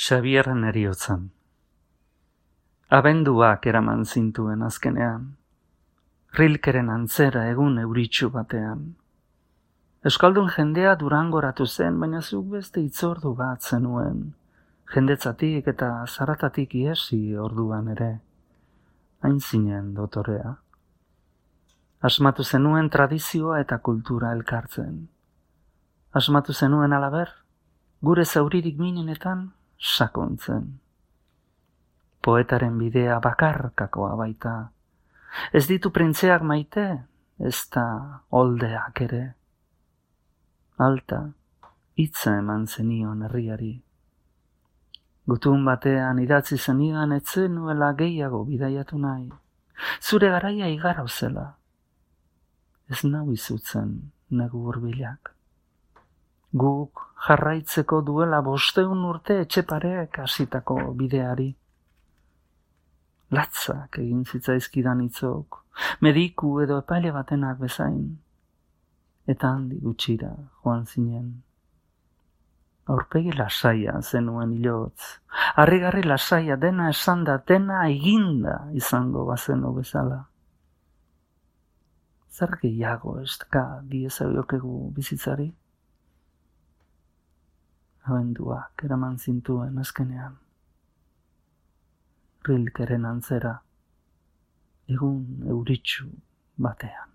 Xabierren heriotzan. Abenduak eraman zintuen azkenean, Rilkeren antzera egun euritsu batean. Euskaldun jendea Durangoratu zen, baina zuk beste itzordu bat zenuen, jendetzatik eta zaratatik iesi orduan ere, hain zinen dotorea. Asmatu zenuen tradizioa eta kultura elkartzen. Asmatu zenuen alaber, gure zauririk minenetan sakontzen. Poetaren bidea bakarkakoa baita. Ez ditu printzeak maite, ez da oldeak ere. Alta, hitza eman zenion herriari. Gutun batean idatzi zenidan etzen nuela gehiago bidaiatu nahi. Zure garaia igaro zela. Ez nau izutzen negu hurbilak. Guk jarraitzeko duela 500 urte etxeparek hasitako bideari. Latzak egin zitzaizkidan hitzok, mediku edo epaile batenak bezain. Eta handi gutxira joan zinen. Aurpegi lasaia zenuen hilotz, harrigarri lasaia dena esanda, dena eginda izango bazeno bezala. Zer gehiago estka diezabiokegu bizitzari? Abenduak eraman zintuen azkenean. Rilkeren antzera, egun euritsu batean.